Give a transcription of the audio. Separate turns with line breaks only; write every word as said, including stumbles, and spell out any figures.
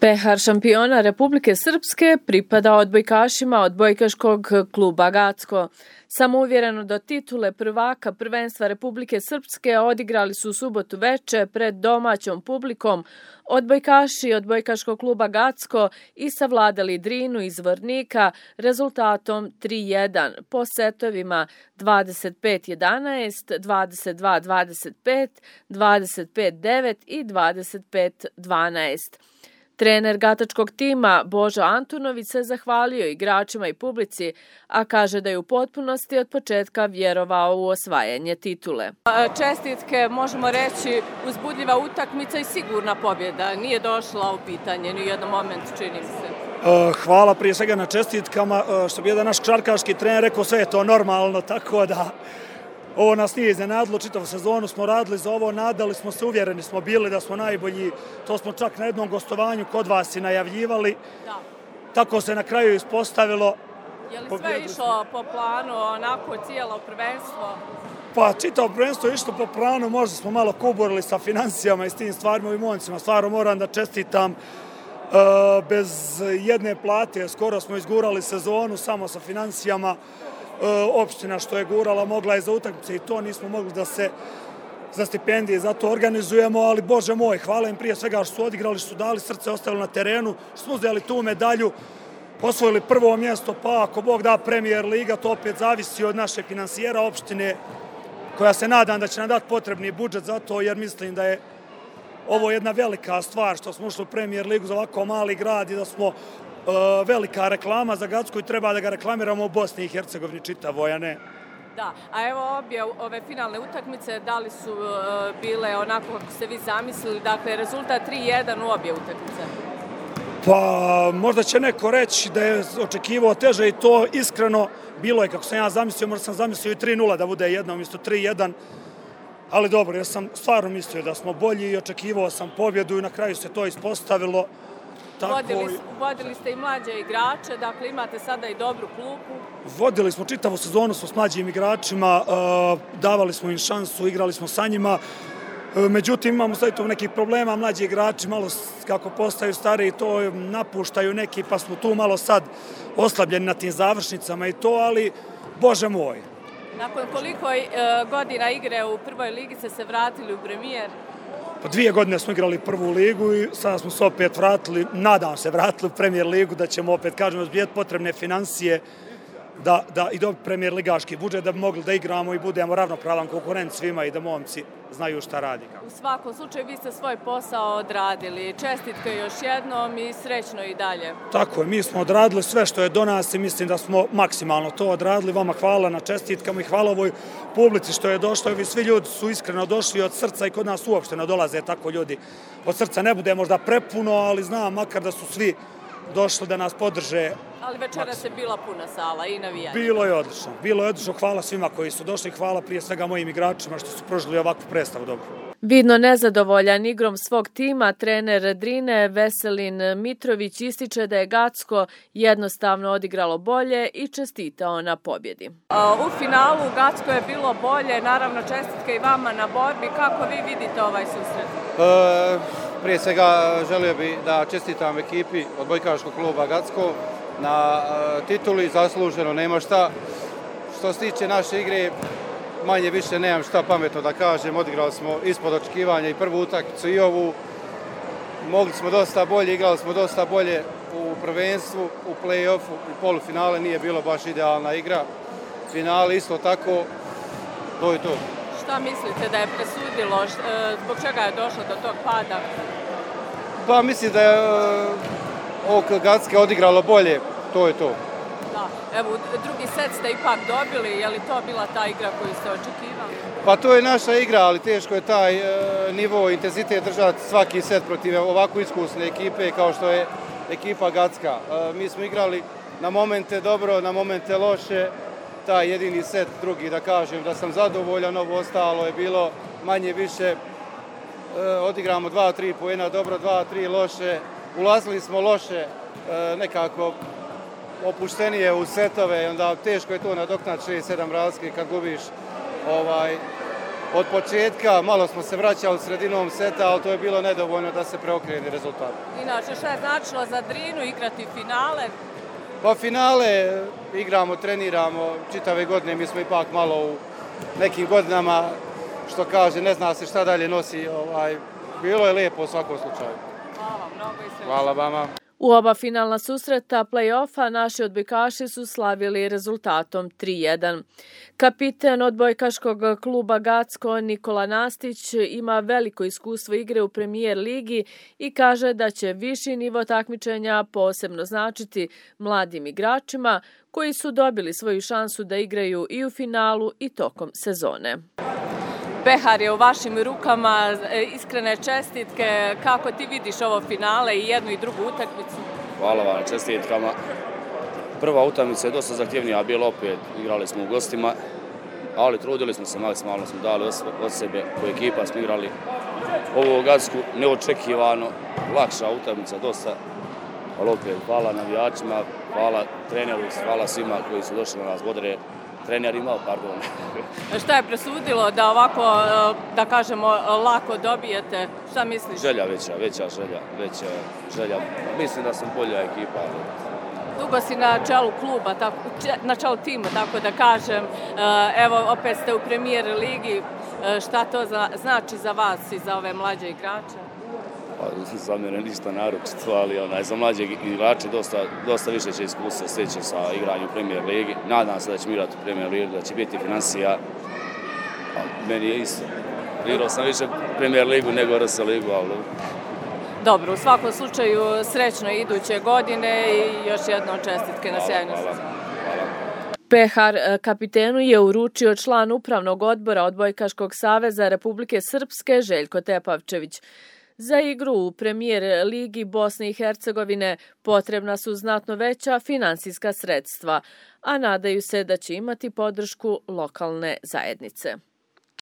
Pehar šampiona Republike Srpske pripada odbojkašima odbojkaškog kluba Gacko. Samouvjereno do titule prvaka prvenstva Republike Srpske odigrali su u subotu veče pred domaćom publikom odbojkaši odbojkaškog kluba Gacko i savladali Drinu iz Zvornika rezultatom tri jedan po setovima dvadeset pet jedanaest, dvadeset dva dvadeset pet, dvadeset pet devet i dvadeset pet dvanaest. Trener gatačkog tima Božo Antunović se zahvalio igračima i publici, a kaže da je u potpunosti od početka vjerovao u osvajanje titule.
Čestitke, možemo reći, uzbudljiva utakmica i sigurna pobjeda. Nije došla u pitanje ni u jednom momentu, čini mi se.
Hvala prije svega na čestitkama. Što bi jedan naš košarkaški trener rekao, sve je to normalno, tako da ovo nas nije iznenadilo, čitavu sezonu smo radili za ovo, nadali smo se, uvjereni smo bili da smo najbolji, to smo čak na jednom gostovanju kod vas i najavljivali. Da. Tako se na kraju ispostavilo.
Je li sve išlo po planu, onako cijelo prvenstvo?
Pa čitavo prvenstvo je išlo po planu, možda smo malo kuburili sa financijama i s tim stvarima i momcima, stvarno moram da čestitam. Bez jedne plate skoro smo izgurali sezonu samo sa financijama. Opština što je gurala mogla je za utakmice i to nismo mogli da se za stipendije za to organizujemo, ali Bože moj, hvala im prije svega što su odigrali, što su dali srce, ostavili na terenu, što smo uzeli tu medalju, osvojili prvo mjesto, pa ako Bog da Premier Liga, to opet zavisi od naše finansijera opštine, koja se nadam da će nam dati potrebni budžet za to, jer mislim da je ovo jedna velika stvar što smo ušli u Premier Ligu za ovako mali grad i da smo velika reklama za Gacko i treba da ga reklamiramo u Bosni i Hercegovini čitavoj, a ne.
Da, a evo obje ove finalne utakmice, da li su bile onako kako ste vi zamislili, dakle rezultat tri jedan u obje utakmice?
Pa možda će neko reći da je očekivao teže i to iskreno bilo je kako sam ja zamislio, možda sam zamislio i tri nula da bude jedno umjesto tri jedan, ali dobro, ja sam stvarno mislio da smo bolji i očekivao sam pobjedu i na kraju se to ispostavilo.
Vodili, vodili ste i mlađe igrače, dakle imate sada i dobru klupu.
Vodili smo čitavu sezonu s mlađim igračima, davali smo im šansu, igrali smo sa njima. Međutim, imamo sad tu nekih problema, mlađi igrači malo kako postaju stariji, to napuštaju neki, pa smo tu malo sad oslabljeni na tim završnicama i to, ali Bože moj.
Nakon koliko godina igre u prvoj ligi ste se vratili u premijer?
Po dvije godine smo igrali prvu ligu i sada smo se opet vratili, nadam se vratili u Premier ligu, da ćemo opet, kažemo, zbijeti potrebne financije da, da i dobiti Premier ligaški budžet da bi mogli da igramo i budemo ravnopravan konkurent svima i da momci znaju šta radi.
U svakom slučaju vi ste svoj posao odradili. Čestitke još jednom i srećno i dalje.
Tako je, mi smo odradili sve što je do nas i mislim da smo maksimalno to odradili. Vama hvala na čestitkama i hvala ovoj publici što je došlo. Vi svi ljudi su iskreno došli od srca i kod nas uopšte ne dolaze tako ljudi. Od srca ne bude možda prepuno, ali znam makar da su svi došli da nas podrže.
Ali večeras je bila puna sala i navijanja.
Bilo je odlično. Bilo je odlično. Hvala svima koji su došli. Hvala prije svega mojim igračima što su prožili ovakvu predstavu dobro.
Vidno nezadovoljan igrom svog tima, trener Drine Veselin Mitrović ističe da je Gacko jednostavno odigralo bolje i čestitao na pobjedi.
U finalu Gacko je bilo bolje, naravno čestitke i vama na borbi. Kako vi vidite ovaj susret?
E, prije svega želio bih da čestitam ekipi odbojkaškog kluba Gacko na e, tituli, zasluženo, nema šta. Što se tiče naše igre, manje više nemam šta pametno da kažem, odigrali smo ispod očekivanja i prvu utakmicu i ovu. Mogli smo dosta bolje, igrali smo dosta bolje u prvenstvu, u play-offu, u polufinale nije bilo baš idealna igra. Finale isto tako, to je to.
Šta mislite da je presudilo, zbog čega je došlo do tog pada?
Pa mislim da je ovog Gacke odigralo bolje, to je to.
Da, evo, drugi set ste ipak dobili, je li to bila ta igra koju ste očekivali?
Pa to je naša igra, ali teško je taj e, nivo, intenzitet držati svaki set protiv ovako iskusne ekipe kao što je ekipa Gacka. E, mi smo igrali na momente dobro, na momente loše, taj jedini set, drugi da kažem da sam zadovoljan, ovo ostalo je bilo manje više, e, odigramo dva tri poena dobro, dva tri loše, ulazili smo loše, e, nekako opuštenije u setove, onda teško je to nadoknati šest sedam razlike kad gubiš ovaj, od početka, malo smo se vraćali sredinom seta, ali to je bilo nedovoljno da se preokrene rezultat.
Inače, šta je značilo za Drinu igrati finale?
Pa finale igramo, treniramo čitave godine, mi smo ipak malo u nekim godinama, što kaže, ne zna se šta dalje nosi, ovaj, bilo je lijepo u svakom slučaju.
Hvala, mnogo i sreće.
Hvala vama.
U oba finalna susreta play-offa naši odbojkaši su slavili rezultatom tri jedan. Kapiten odbojkaškog kluba Gacko Nikola Nastić ima veliko iskustvo igre u Premijer ligi i kaže da će viši nivo takmičenja posebno značiti mladim igračima koji su dobili svoju šansu da igraju i u finalu i tokom sezone.
Pehar je u vašim rukama, iskrene čestitke. Kako ti vidiš ovo finale i jednu i drugu utakmicu?
Hvala vam na čestitkama. Prva utakmica je dosta zahtjevnija bila, opet igrali smo u gostima, ali trudili smo se, maksimalno smo dali od sebe, ko ekipa smo igrali ovu Gacku neočekivano, lakša utakmica dosta, ali opet hvala navijačima, hvala treneru, hvala svima koji su došli na nas bodre. Trener imao, pardon.
Šta je presudilo da ovako, da kažemo, lako dobijete? Šta misliš?
Želja veća, veća želja, veća želja. Mislim da sam bolja ekipa.
Dugo si na čelu kluba, tako, na čelu tima, tako da kažem. Evo, opet ste u Premijer ligi. Šta to znači za vas i za ove mlađe igrače?
Pa, za mene ništa naročito, ali onaj, za mlađe igrače dosta, dosta više će iskustva steći sa igranjem u Premijer ligi. Nadam se da ćemo igrati u Premijer ligi, da će biti financija. A meni je isto. Igrao sam više Premijer ligu nego R S ligu, ali...
Dobro, u svakom slučaju srećno iduće godine i još jednom čestitke na sjajnu sezonu.
Pehar kapitenu je uručio član upravnog odbora Odbojkaškog saveza Republike Srpske Željko Tepavčević. Za igru u Premijer ligi Bosne i Hercegovine potrebna su znatno veća finansijska sredstva, a nadaju se da će imati podršku lokalne zajednice.